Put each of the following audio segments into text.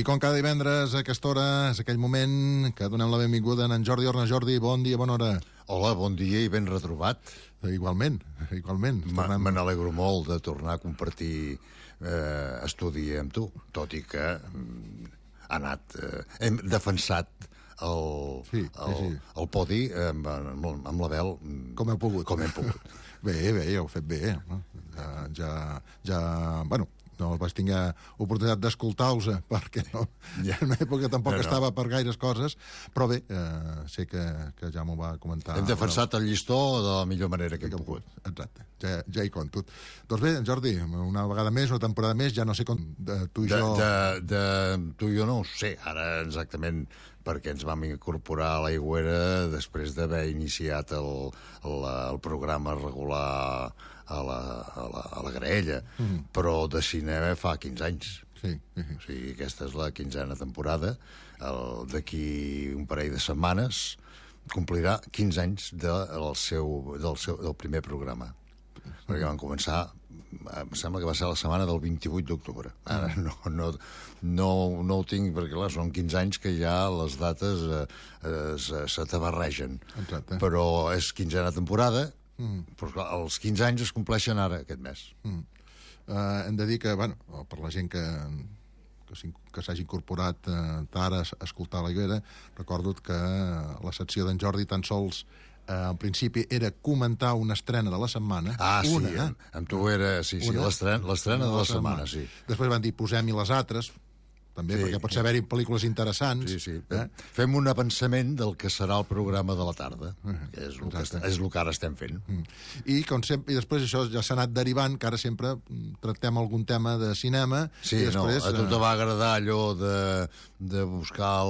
I com cada divendres a aquesta hora és aquell moment que donem la benvinguda a en Jordi Orna. Jordi, bon dia, bona hora. Hola, bon dia i ben retrobat. Igualment. Me n'alegro molt de tornar a compartir estudi amb tu, tot i que ha anat... hem defensat el podi amb l'Abel com heu pogut. Bé, ja heu fet bé. Bueno, no vaig tenir oportunitat d'escoltar-vos perquè en una època tampoc estava per gaires coses, però bé, sé que ja m'ho va comentar. Hem defensat el llistó de la millor manera que hem pogut. Exacte, ja hi compto. Doncs bé, Jordi, una vegada més, una temporada més, ja no sé com tu i jo... Tu i jo no ho sé, ara exactament, perquè ens vam incorporar a l'Aigüera després d'haver iniciat el programa regular a la Graella, però de cinema fa 15 anys. Sí. O sigui, aquesta és la 15a temporada. D'aquí un parell de setmanes complirà 15 anys del primer programa. Perquè van començar, em sembla que va ser la setmana del 28 d'octubre. Ara no ho tinc, perquè clar, són 15 anys que ja les dates se t'abarregen. Exacte. Però és 15a temporada, però clar, els 15 anys es compleixen ara, aquest mes. Hem de dir que, bueno, per la gent que s'hagi incorporat ara a escoltar la Guera, recordo que la secció d'en Jordi tan sols en principi era comentar una estrena de la setmana. Amb tu era, l'estrena de la setmana, sí. Després van dir, posem-hi les altres, també, perquè pot haver-hi pel·lícules interessants. Sí. Fem un avançament del que serà el programa de la tarda, que és el que ara estem fent. I com sempre, i després això ja s'ha anat derivant, que ara sempre tractem algun tema de cinema. Sí, i després, a tu te va agradar allò de buscar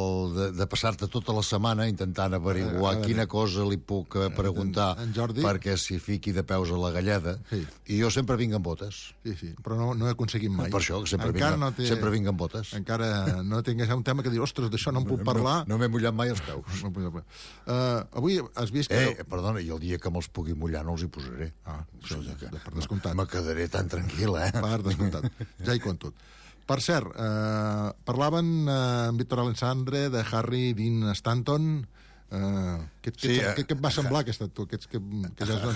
de passar-te tota la setmana intentant averiguar quina cosa li puc preguntar perquè s'hi fiqui de peus a la galleda, i jo sempre vinc amb botes. Sí, però no he aconseguit mai. Per això, sempre vinc amb botes. Encara no tingués un tema que dir, ostres, d'això no en puc parlar. No m'he mullat mai els peus. Avui has vist que... Perdona, i el dia que me'ls pugui mullar no els hi posaré. Això per descomptat. Me quedaré tan tranquil, Per descomptat, ja hi compto. Per cert, parlaven amb Víctor Alessandre de Harry Dean Stanton. Què et va semblar aquest actor?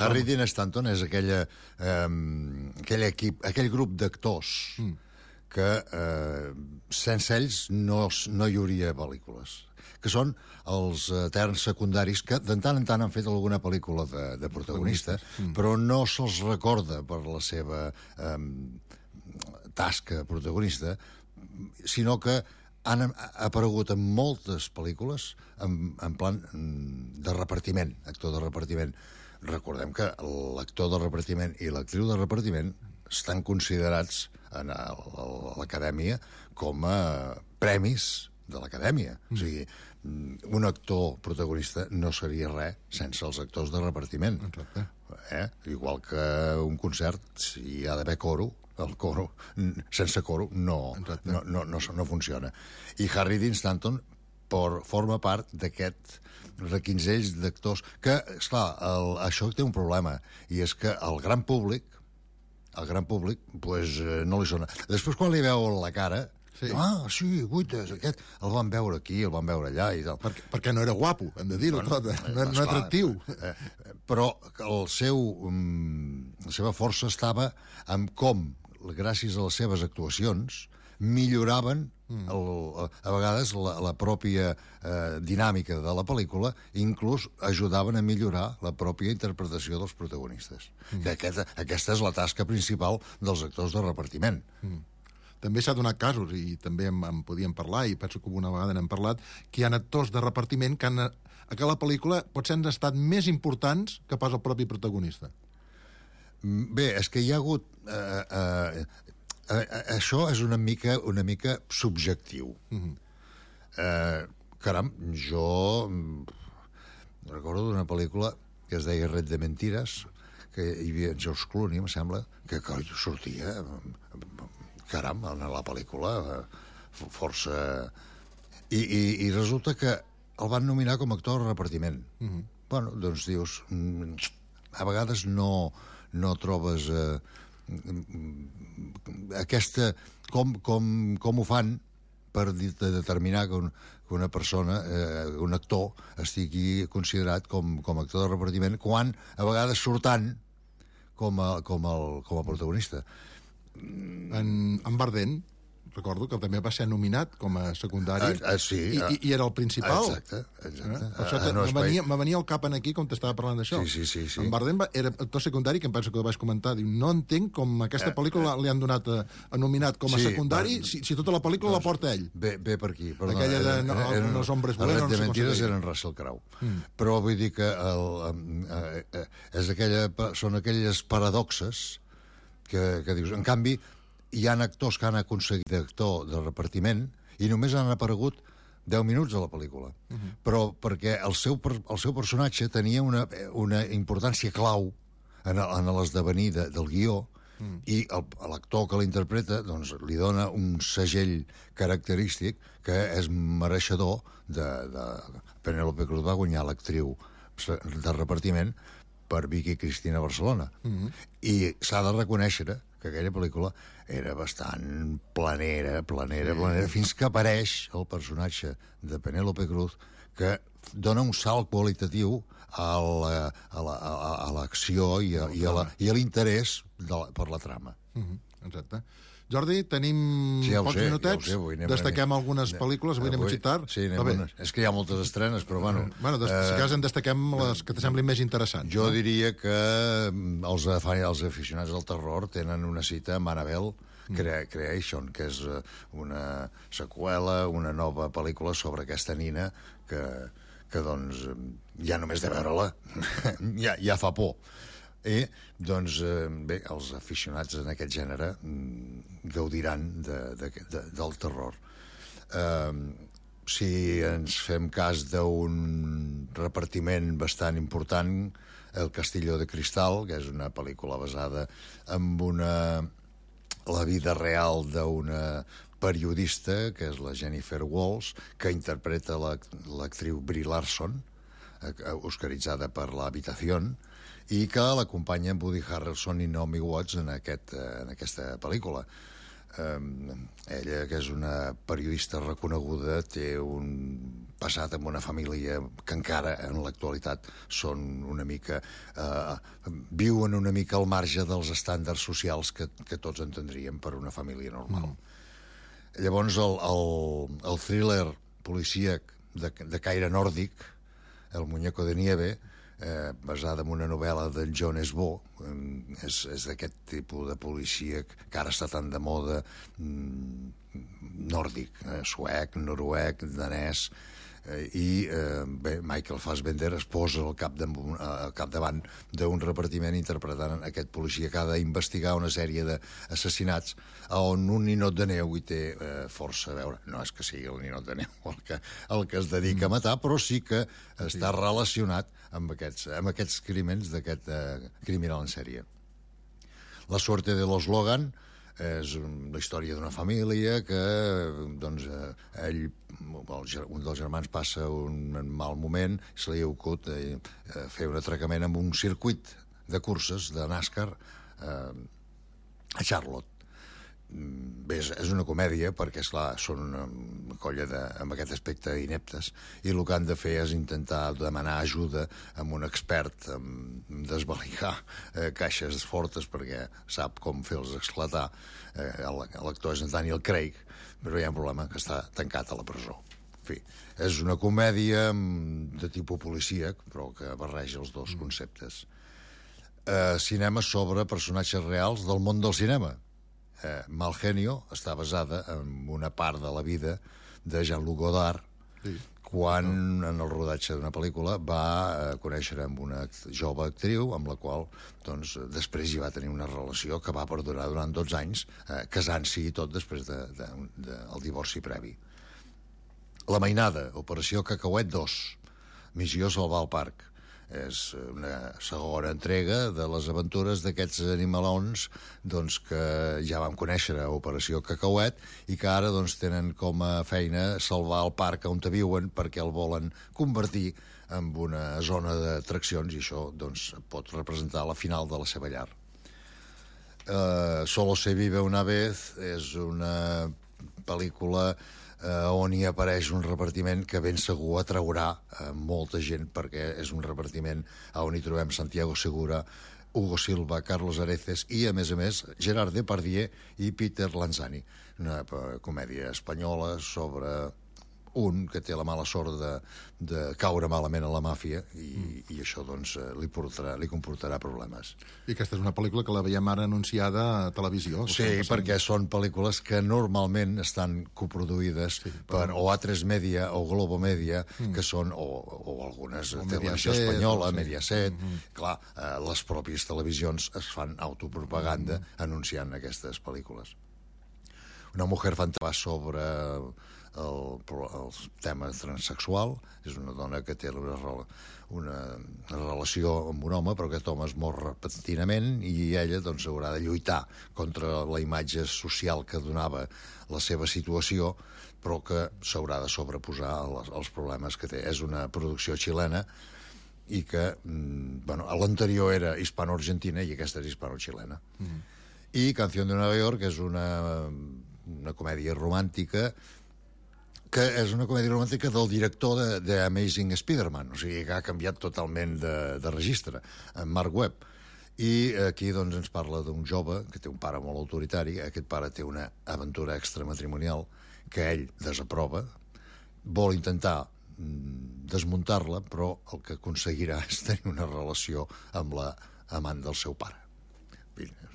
Harry Dean Stanton és aquell grup d'actors que sense ells no hi hauria pel·lícules, que són els eterns secundaris que de tant en tant han fet alguna pel·lícula de protagonista, però no se'ls recorda per la seva tasca protagonista, sinó que han aparegut en moltes pel·lícules en plan de repartiment, actor de repartiment. Recordem que l'actor de repartiment i l'actriu de repartiment estan considerats a l'acadèmia com a premis de l'acadèmia. O sigui, un actor protagonista no seria res sense els actors de repartiment. Igual que un concert, si hi ha d'haver coro, el coro, sense coro, no funciona. I Harry Dean Stanton forma part d'aquest requinzell d'actors que, esclar, això té un problema, i és que el gran públic pues, no li sona. Després, quan li veu la cara, guaites, aquest el van veure aquí, el van veure allà i tal. Perquè no era guapo, hem de dir-ho tot, no era atractiu. Però la seva força estava en com, gràcies a les seves actuacions, milloraven a vegades la pròpia dinàmica de la pel·lícula, inclús ajudaven a millorar la pròpia interpretació dels protagonistes. Que aquesta és la tasca principal dels actors de repartiment. També s'ha donat casos, i també en podíem parlar, i penso que una vegada n'hem parlat, que hi ha actors de repartiment que a la pel·lícula potser han estat més importants que pas el propi protagonista. Bé, és que hi ha hagut... això és una mica subjectiu. Caram, jo recordo d'una pel·lícula que es deia Red de Mentiras, que hi havia en George Clooney, em sembla, que sortia caram, en la pel·lícula força... I resulta que el van nominar com a actor de repartiment. Bueno, doncs dius, a vegades no trobes aquesta... Com ho fan per determinar que una persona, un actor, estigui considerat com a actor de repartiment, quan a vegades surtant com a protagonista. En Bardem, recordo que també va ser nominat com a secundari sí, i era el principal. Exacte. Per això me venia al cap aquí com t'estava parlant d'això. Sí. En Bardem era actor secundari, que em penso que ho vaig comentar. Diu, no entenc com aquesta pel·lícula li han donat nominat com a secundari si tota la pel·lícula la porta ell. Ve per aquí. Aquella de Los hombres buenos. De mentides eren Russell Crowe. Però vull dir que són aquelles paradoxes que dius. En canvi, hi ha actors que han aconseguit actor de repartiment i només han aparegut 10 minuts a la pel·lícula. Però perquè el seu personatge tenia una importància clau en l'esdevenir del guió i l'actor que l'interpreta doncs, li dona un segell característic que és mereixedor de Penélope Cruz va guanyar l'actriu de repartiment per Vicky Cristina Barcelona. I s'ha de reconèixer que aquella pel·lícula era bastant planera, fins que apareix el personatge de Penélope Cruz, que dona un salt qualitatiu a l'acció i a l'interès per la trama. Exacte. Jordi, tenim pocs minutets. Destaquem algunes pel·lícules, avui anem a citar. Sí, és que hi ha moltes estrenes, però bueno... Si cas en destaquem les que t'semblin més interessants. Jo diria que els aficionats del terror tenen una cita amb Annabelle Creation, que és una seqüela, una nova pel·lícula sobre aquesta nina que doncs, ja només de veure-la ja fa por. I, doncs, bé, els aficionats en aquest gènere gaudiran del terror. Si ens fem cas d'un repartiment bastant important, El Castillo de Cristal, que és una pel·lícula basada en la vida real d'una periodista, que és la Jennifer Walls, que interpreta l'actriu Brie Larson, oscaritzada per La Habitación, i que l'acompanya Woody Harrelson i Naomi Watts en aquesta pel·lícula. Ella, que és una periodista reconeguda, té un passat amb una família que encara en l'actualitat són una mica... viuen una mica al marge dels estàndards socials que tots entendríem per una família normal. Llavors, el thriller policíac de caire nòrdic, El muñeco de nieve, basada en una novel·la d'en John Esbo, és d'aquest tipus de policia que ara està tan de moda, nòrdic, suec, noruec, danès, i bé, Michael Fassbender es posa al capdavant d'un repartiment interpretant aquest policia que ha d'investigar una sèrie d'assassinats on un ninot de neu hi té força a veure. No és que sigui el ninot de neu el que es dedica a matar, però sí que està relacionat amb aquests crímens d'aquest criminal en sèrie. La suerte de los Logan és la història d'una família que doncs, un dels germans passa un mal moment i se li ha ocut fer un atracament amb un circuit de curses de NASCAR a Charlotte. Bé, és una comèdia perquè, esclar, són una colla amb aquest aspecte ineptes i el que han de fer és intentar demanar ajuda amb un expert en desvalijar caixes fortes perquè sap com fer-los esclatar. L'actor és Daniel Craig, però hi ha un problema que està tancat a la presó. En fi, és una comèdia de tipus policíac, però que barreja els dos conceptes. Cinema sobre personatges reals del món del cinema. Mal Genio està basada en una part de la vida de Jean-Luc Godard, quan en el rodatge d'una pel·lícula va conèixer amb una jove actriu amb la qual doncs, després hi va tenir una relació que va perdurar durant 12 anys, casant-s'hi i tot després del divorci previ. La Mainada, Operació Cacauet 2, Missió Salvar el Parc. És una segona entrega de les aventures d'aquests animalons doncs, que ja vam conèixer a Operació Cacauet i que ara doncs, tenen com a feina salvar el parc on viuen perquè el volen convertir en una zona d'atraccions i això doncs, pot representar la final de la seva llar. Solo se vive una vez és una pel·lícula on hi apareix un repartiment que ben segur atraurà molta gent, perquè és un repartiment on hi trobem Santiago Segura, Hugo Silva, Carlos Areces i, a més, Gerard Depardieu i Peter Lanzani. Una comèdia espanyola sobre un que té la mala sort de caure malament a la màfia i això doncs li comportarà problemes. I aquesta és una pel·lícula que la veiem ara anunciada a televisió. Sí, perquè són pel·lícules que normalment estan coproduïdes per o A3 Media o Globo Media, que són, o algunes televisió espanyola, Mediaset. Clar, les pròpies televisions es fan autopropaganda anunciant aquestes pel·lícules. Una mujer fantasma sobre el tema transsexual. És una dona que té una relació amb un home, però aquest home es mor repentinament i ella doncs haurà de lluitar contra la imatge social que donava la seva situació, però que s'haurà de sobreposar als problemes que té. És una producció xilena i que, l'anterior era hispano-argentina i aquesta és hispano-xilena. I Canción de Nueva York és una comèdia romàntica del director de Amazing Spider-Man, o sigui que ha canviat totalment de registre, en Mark Webb. I aquí doncs ens parla d'un jove que té un pare molt autoritari. Aquest pare té una aventura extramatrimonial que ell desaprova, vol intentar desmuntar-la, però el que aconseguirà és tenir una relació amb la amant del seu pare.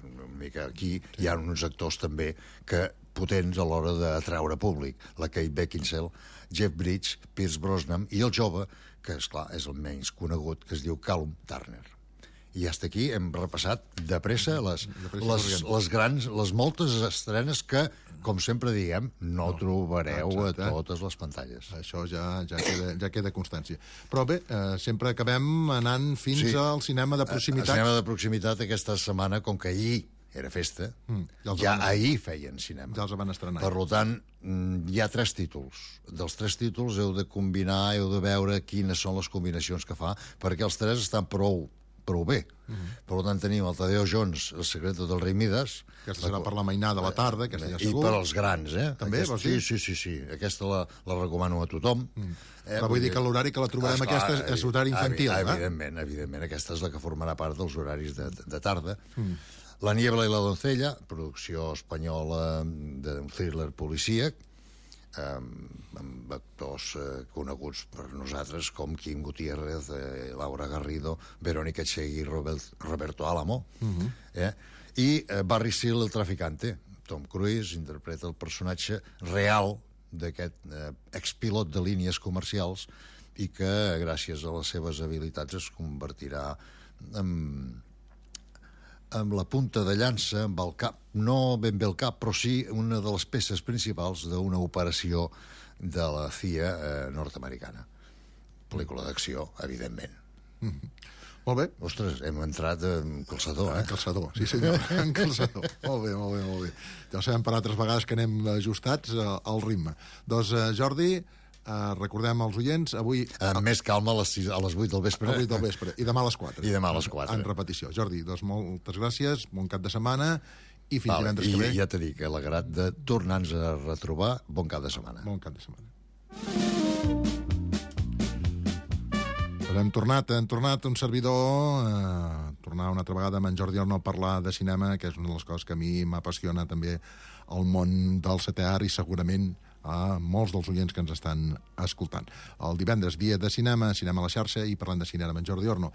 Una mica aquí hi ha uns actors també que potents a l'hora d'atraure públic. La Kate Beckinsale, Jeff Bridges, Pierce Brosnan i el jove, que esclar és el menys conegut, que es diu Callum Turner. I fins aquí hem repassat de pressa les moltes estrenes que, com sempre diem, no trobareu a totes les pantalles. Això ja queda constància. Però bé, sempre acabem anant fins al cinema de proximitat. El cinema de proximitat aquesta setmana, com que ahir era festa, ja ahir feien cinema. Ja els van estrenar. Per tant, hi ha 3 títols. Dels 3 títols heu de combinar, heu de veure quines són les combinacions que fa, perquè els 3 estan prou bé. Per tant, tenim el Tadeo Jones, El secreto del rei Midas. Aquesta serà per la mainada de la tarda, aquesta ja segur. I per als grans, També, vols dir? Sí. Aquesta la recomano a tothom. Però vull dir que l'horari que la trobarem aquesta és horari infantil. Evidentment. Aquesta és la que formarà part dels horaris de tarda. La niebla i la doncella, producció espanyola d'un thriller policíac, amb actors coneguts per nosaltres com Kim Gutiérrez, Laura Garrido, Verónica Chegui, Roberto Álamo, i Barry Seal, el traficante. Tom Cruise interpreta el personatge real d'aquest expilot de línies comercials i que, gràcies a les seves habilitats, es convertirà amb la punta de llança, amb el cap, no ben bé el cap, però sí una de les peces principals d'una operació de la CIA nord-americana. Pel·lícula d'acció, evidentment. Molt bé. Ostres, hem entrat en calçador, En calçador, sí senyor, en calçador. Molt bé. Ja ho sabem per altres vegades que anem ajustats al ritme. Doncs, Jordi, recordem als oients, avui... Amb més calma a les 8 del vespre. A les 8 del vespre, i demà a les 4. En repetició. Jordi, doncs moltes gràcies, bon cap de setmana, i fins divendres que ve. I ja t'he dit, alegrat de tornar-nos a retrobar. Bon cap de setmana. Bon cap de setmana. Hem tornat un servidor, tornar una altra vegada amb en Jordi Orno a parlar de cinema, que és una de les coses que a mi m'apassiona també el món del setè art i segurament a molts dels oients que ens estan escoltant. El divendres, dia de cinema, cinema a la xarxa, i parlant de cinema amb en Jordi Orno.